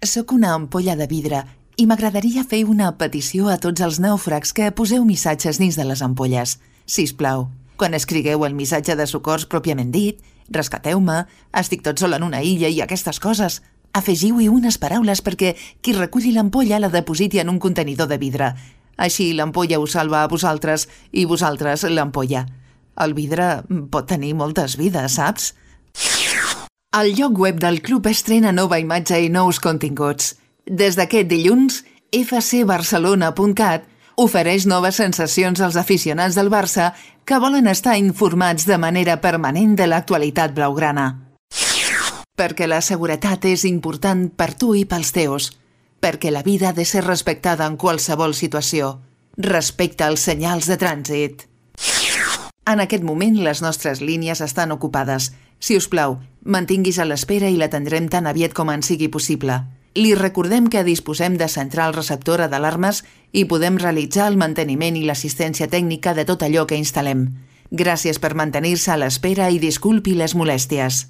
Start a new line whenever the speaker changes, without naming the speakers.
Soc una ampolla de vidre i m'agradaria fer una petició a tots els nàufrags que poseu missatges dins de les ampolles. Sisplau, quan escrigueu el missatge de socors pròpiament dit, rescateu-me, estic tot sol en una illa i aquestes coses, afegiu-hi unes paraules perquè qui reculli l'ampolla la depositi en un contenidor de vidre. Així l'ampolla us salva a vosaltres i vosaltres l'ampolla. El vidre pot tenir moltes vides, saps? El lloc web del club estrena nova imatge i nous continguts. Des d'aquest dilluns, fcbarcelona.cat ofereix noves sensacions als aficionats del Barça que volen estar informats de manera permanent de l'actualitat blaugrana. Perquè la seguretat és important per tu i pels teus. Perquè la vida ha de ser respectada en qualsevol situació. Respecta els senyals de trànsit. En aquest moment les nostres línies estan ocupades. Si us plau, mantinguis a l'espera i l'atendrem tan aviat com en sigui possible. Li recordem que disposem de central receptora d'alarmes i podem realitzar el manteniment i l'assistència tècnica de tot allò que instal·lem. Gràcies per mantenir-se a l'espera i disculpi les molèsties.